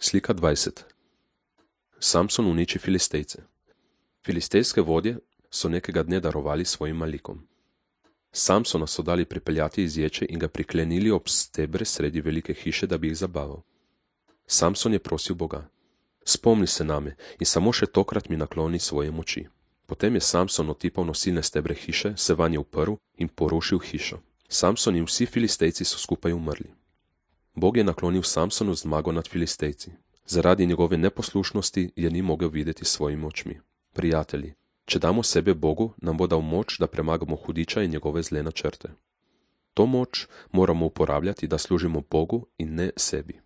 Slika 20. Samson uniči Filistejce. Filistejske vodje so nekega dne darovali svojim malikom. Samsona so dali pripeljati iz ječe in ga priklenili ob stebre sredi velike hiše, da bi jih zabaval. Samson je prosil Boga: spomni se name in samo še tokrat mi nakloni svoje moči. Potem je Samson otipal nosilne stebre hiše, se vanje uprl in porušil hišo. Samson in vsi Filistejci so skupaj umrli. Bog je naklonil Samsonu zmago nad Filistejci. Zaradi njegove neposlušnosti je ni mogel videti s svojimi očmi. Prijatelji, če damo sebe Bogu, nam bo dal moč, da premagamo hudiča in njegove zle načrte. To moč moramo uporabljati, da služimo Bogu in ne sebi.